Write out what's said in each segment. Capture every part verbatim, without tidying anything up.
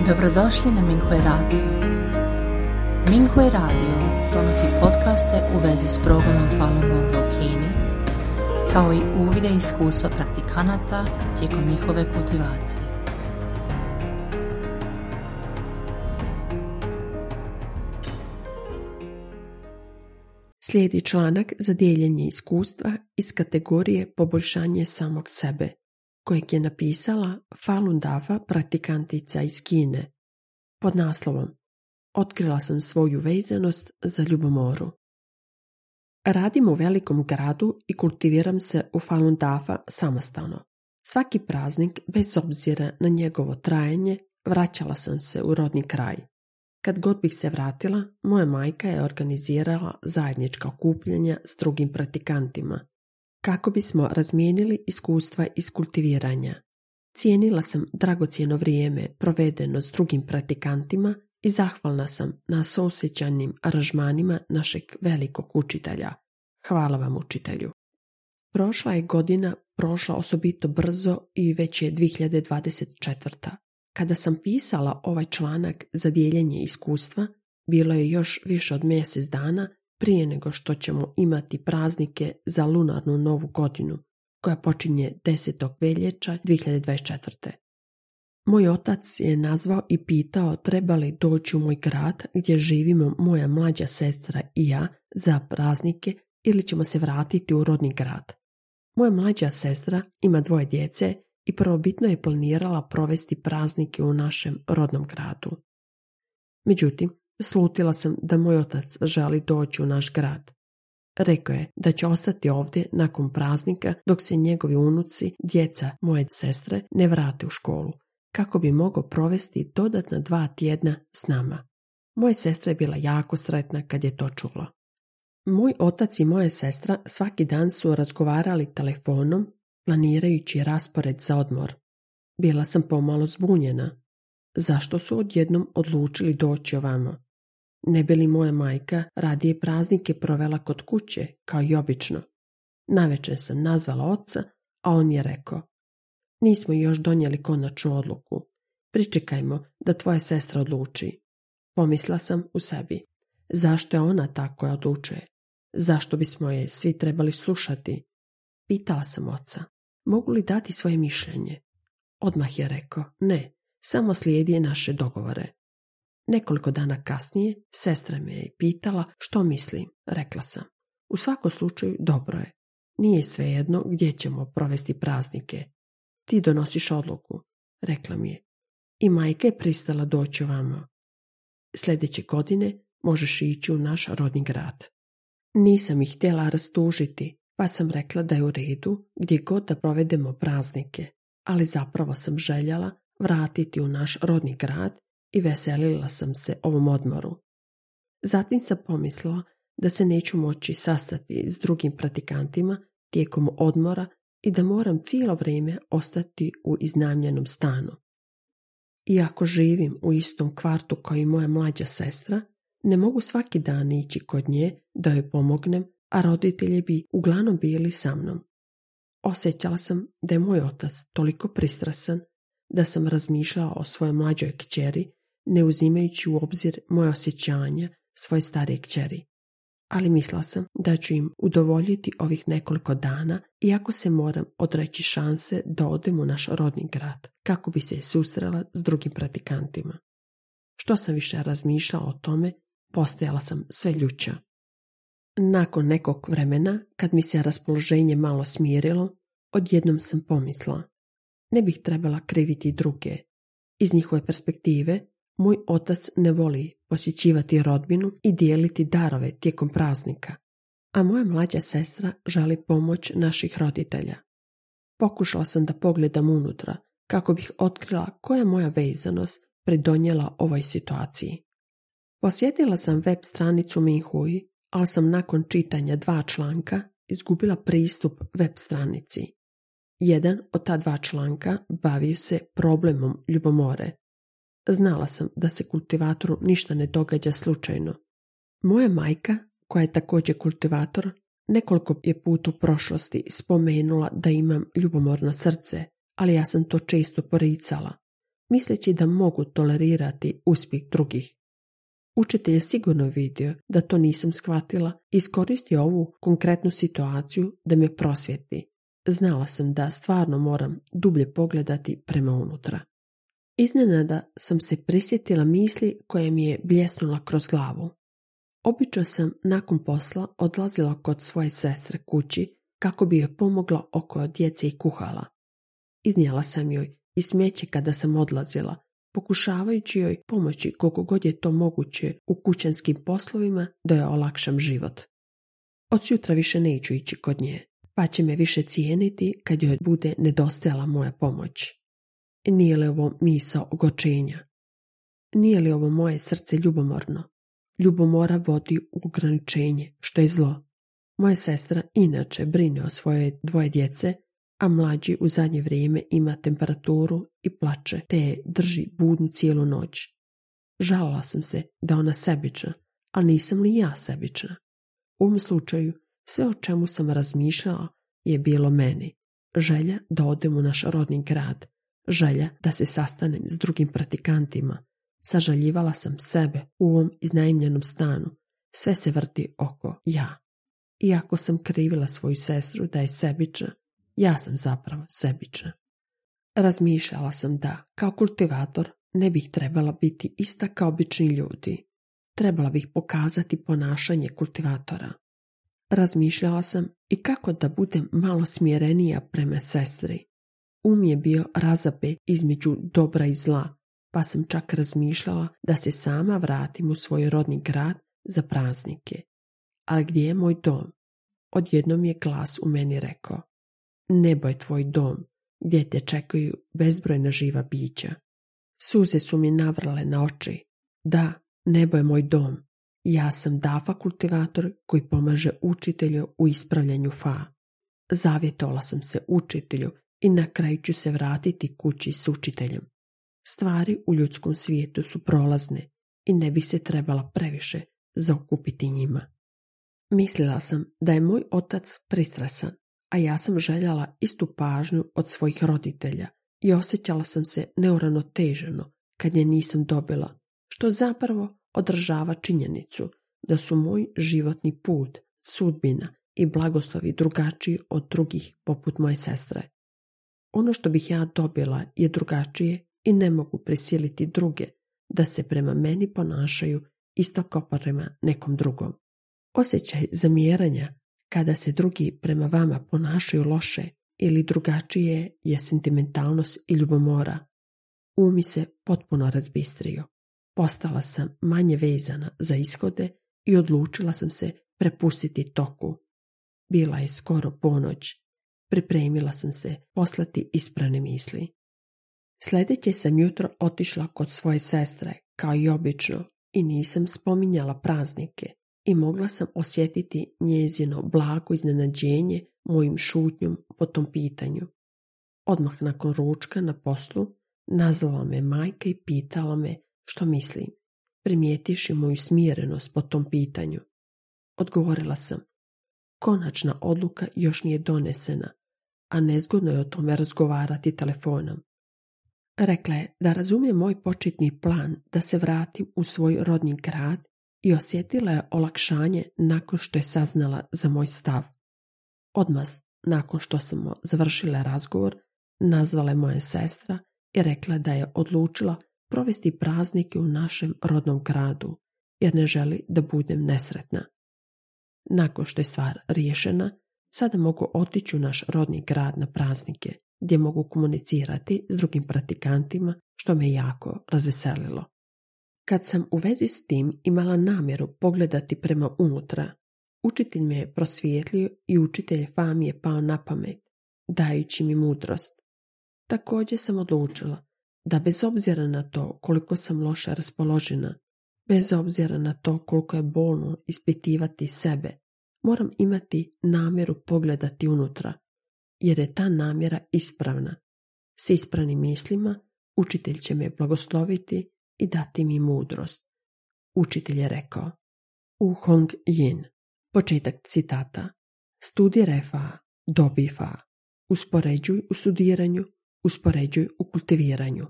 Dobrodošli na Minghui Radio. Minghui Radio donosi podcaste u vezi s progledom Falun Gonga u Kini, kao i uvide i iskustva praktikanata tijekom njihove kultivacije. Slijedi članak za dijeljenje iskustva iz kategorije poboljšanje samog sebe, kojeg je napisala Falun Dafa praktikantica iz Kine, pod naslovom Otkrila sam svoju vezanost za ljubomoru. Radim u velikom gradu i kultiviram se u Falun Dafa samostalno. Svaki praznik, bez obzira na njegovo trajanje, vraćala sam se u rodni kraj. Kad god bih se vratila, moja majka je organizirala zajednička okupljanja s drugim praktikantima, kako bismo razmijenili iskustva iz kultiviranja. Cijenila sam dragocjeno vrijeme provedeno s drugim praktikantima i zahvalna sam na suosjećajnim aranžmanima našeg velikog učitelja. Hvala vam, učitelju. Prošla je godina, prošla osobito brzo i već je dvije hiljade dvadeset četvrta. Kada sam pisala ovaj članak za dijeljenje iskustva, bilo je još više od mjesec dana prije nego što ćemo imati praznike za lunarnu novu godinu, koja počinje desetog veljače dvije hiljade dvadeset četvrte. Moj otac je nazvao i pitao treba li doći u moj grad gdje živimo moja mlađa sestra i ja za praznike ili ćemo se vratiti u rodni grad. Moja mlađa sestra ima dvoje djece i prvobitno je planirala provesti praznike u našem rodnom gradu. Međutim, slutila sam da moj otac želi doći u naš grad. Rekao je da će ostati ovdje nakon praznika dok se njegovi unuci, djeca moje sestre, ne vrate u školu, kako bi mogao provesti dodatna dva tjedna s nama. Moja sestra je bila jako sretna kad je to čula. Moj otac i moja sestra svaki dan su razgovarali telefonom, planirajući raspored za odmor. Bila sam pomalo zbunjena. Zašto su odjednom odlučili doći ovamo? Ne bi li moja majka radije praznike provela kod kuće, kao i obično? Navečer sam nazvala oca, a on je rekao: nismo još donijeli konačnu odluku. Pričekajmo da tvoja sestra odluči. Pomisla sam u sebi. Zašto je ona ta koja odlučuje? Zašto bismo je svi trebali slušati? Pitala sam oca, mogu li dati svoje mišljenje? Odmah je rekao, ne, samo slijedi naše dogovore. Nekoliko dana kasnije sestra me je pitala što mislim. Rekla sam, u svakom slučaju dobro je. Nije svejedno gdje ćemo provesti praznike. Ti donosiš odluku, rekla mi je. I majka je pristala doći ovamo. Sljedeće godine možeš ići u naš rodni grad. Nisam ih htjela rastužiti, pa sam rekla da je u redu gdje god da provedemo praznike, ali zapravo sam željela vratiti u naš rodni grad i veselila sam se ovom odmoru. Zatim sam pomislila da se neću moći sastati s drugim praktikantima tijekom odmora i da moram cijelo vrijeme ostati u iznajmljenom stanu. Iako živim u istom kvartu kao i moja mlađa sestra, ne mogu svaki dan ići kod nje da joj pomognem, a roditelji bi uglavnom bili sa mnom. Osjećala sam da je moj otac toliko pristrasan da sam razmišljala o svojoj mlađoj kćeri, ne uzimajući u obzir moje osjećanja svoje starije kćeri. Ali mislila sam da ću im udovoljiti ovih nekoliko dana, iako se moram odreći šanse da odem u naš rodni grad, kako bi se susrela s drugim praktikantima. Što sam više razmišljala o tome, postajala sam sve ljuća. Nakon nekog vremena, kad mi se raspoloženje malo smirilo, odjednom sam pomislila, ne bih trebala kriviti druge. Iz njihove perspektive, moj otac ne voli posjećivati rodbinu i dijeliti darove tijekom praznika, a moja mlađa sestra želi pomoć naših roditelja. Pokušala sam da pogledam unutra, kako bih otkrila koja je moja vezanost pridonijela ovoj situaciji. Posjetila sam web stranicu Minghui, ali sam nakon čitanja dva članka izgubila pristup web stranici. Jedan od ta dva članka bavio se problemom ljubomore. Znala sam da se kultivatoru ništa ne događa slučajno. Moja majka, koja je također kultivator, nekoliko je put u prošlosti spomenula da imam ljubomorno srce, ali ja sam to često poricala. misleći da mogu tolerirati uspjeh drugih. Učitelj je sigurno vidio da to nisam shvatila i iskoristio ovu konkretnu situaciju da me prosvjeti. Znala sam da stvarno moram dublje pogledati prema unutra. Iznenada sam se prisjetila misli koja mi je bljesnula kroz glavu. Obično sam nakon posla odlazila kod svoje sestre kući kako bi joj pomogla oko djece i kuhala. Iznijela sam joj i smeće kada sam odlazila, pokušavajući joj pomoći koliko god je to moguće u kućanskim poslovima da joj olakšam život. Od sutra više neću ići kod nje, pa će me više cijeniti kad joj bude nedostajala moja pomoć. Nije li ovo misao ogorčenja? Nije li ovo moje srce ljubomorno? Ljubomora vodi u ograničenje, što je zlo. Moja sestra inače brine o svoje dvoje djece, a mlađi u zadnje vrijeme ima temperaturu i plače, te je drži budnu cijelu noć. Žalila sam se da ona sebična, ali nisam li ja sebična? U ovom slučaju, sve o čemu sam razmišljala je bilo meni. Želja da odem u naš rodni grad, želja da se sastanem s drugim praktikantima. Sažaljivala sam sebe u ovom iznajmljenom stanu. Sve se vrti oko ja. Iako sam krivila svoju sestru da je sebična, ja sam zapravo sebična. Razmišljala sam da, kao kultivator, ne bih trebala biti ista kao obični ljudi. Trebala bih pokazati ponašanje kultivatora. Razmišljala sam i kako da budem malo smjerenija prema sestri. Um je bio razapet između dobra i zla, pa sam čak razmišljala da se sama vratim u svoj rodni grad za praznike. Ali gdje je moj dom? Odjednom je glas u meni rekao: nebo je tvoj dom, gdje te čekaju bezbrojna živa bića. Suze su mi navrale na oči. Da, nebo je moj dom. Ja sam Dafa kultivator koji pomaže učitelju u ispravljanju fa. Zavjetovala sam se učitelju i na kraju ću se vratiti kući s učiteljem. Stvari u ljudskom svijetu su prolazne i ne bi se trebala previše zaokupiti njima. Mislila sam da je moj otac pristrasan, a ja sam željela istu pažnju od svojih roditelja i osjećala sam se neuravnoteženo kad je nisam dobila, što zapravo odražava činjenicu da su moj životni put, sudbina i blagoslovi drugačiji od drugih poput moje sestre. Ono što bih ja dobila je drugačije i ne mogu prisiliti druge da se prema meni ponašaju isto kao prema nekom drugom. Osjećaj zamjeranja kada se drugi prema vama ponašaju loše ili drugačije je sentimentalnost i ljubomora. Um mi se potpuno razbistrio. Postala sam manje vezana za ishode i odlučila sam se prepustiti toku. Bila je skoro ponoć. Pripremila sam se poslati isprane misli. Sljedeće sam jutro otišla kod svoje sestre, kao i obično, i nisam spominjala praznike i mogla sam osjetiti njezino blago iznenađenje mojim šutnjom po tom pitanju. Odmah nakon ručka na poslu nazvala me majka i pitala me što mislim, primijetivši moju smirenost po tom pitanju. Odgovorila sam: konačna odluka još nije donesena, a nezgodno je o tome razgovarati telefonom. Rekla je da razumije moj početni plan da se vratim u svoj rodni grad i osjetila je olakšanje nakon što je saznala za moj stav. Odmah nakon što smo završile razgovor, nazvala je moja sestra i rekla da je odlučila provesti praznike u našem rodnom gradu, jer ne želi da budem nesretna. Nakon što je stvar riješena, sada mogu otići u naš rodni grad na praznike, gdje mogu komunicirati s drugim praktikantima, što me jako razveselilo. Kad sam u vezi s tim imala namjeru pogledati prema unutra, učitelj me je prosvijetlio i učitelj fa mi je pao na pamet, dajući mi mudrost. Također sam odlučila da bez obzira na to koliko sam loše raspoložena, bez obzira na to koliko je bolno ispitivati sebe, moram imati namjeru pogledati unutra, jer je ta namjera ispravna. S ispravnim mislima učitelj će me blagosloviti i dati mi mudrost. Učitelj je rekao: U Hong Yin. Početak citata. Studiraj fa, dobi fa. Uspoređuj u studiranju, uspoređuj u kultiviranju.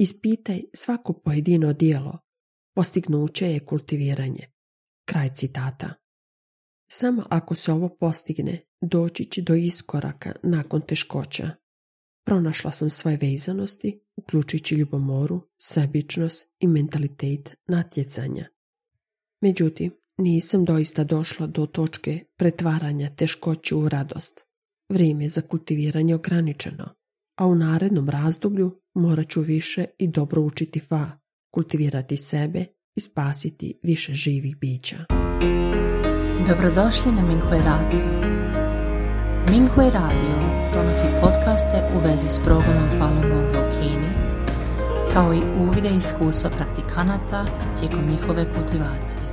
Ispitaj svako pojedino djelo. Postignuće je kultiviranje. Kraj citata. Samo ako se ovo postigne, doći će do iskoraka nakon teškoća. Pronašla sam svoje vezanosti, uključujući ljubomoru, sebičnost i mentalitet natjecanja. Međutim, nisam doista došla do točke pretvaranja teškoće u radost. Vrijeme za kultiviranje ograničeno, a u narednom razdoblju morat ću više i dobro učiti fa, kultivirati sebe i spasiti više živih bića. Dobrodošli na Minghui Radio. Minghui Radio donosi podcaste u vezi s progledom Falun Gonga u Kini, kao i uvide i iskustva praktikanata tijekom njihove kultivacije.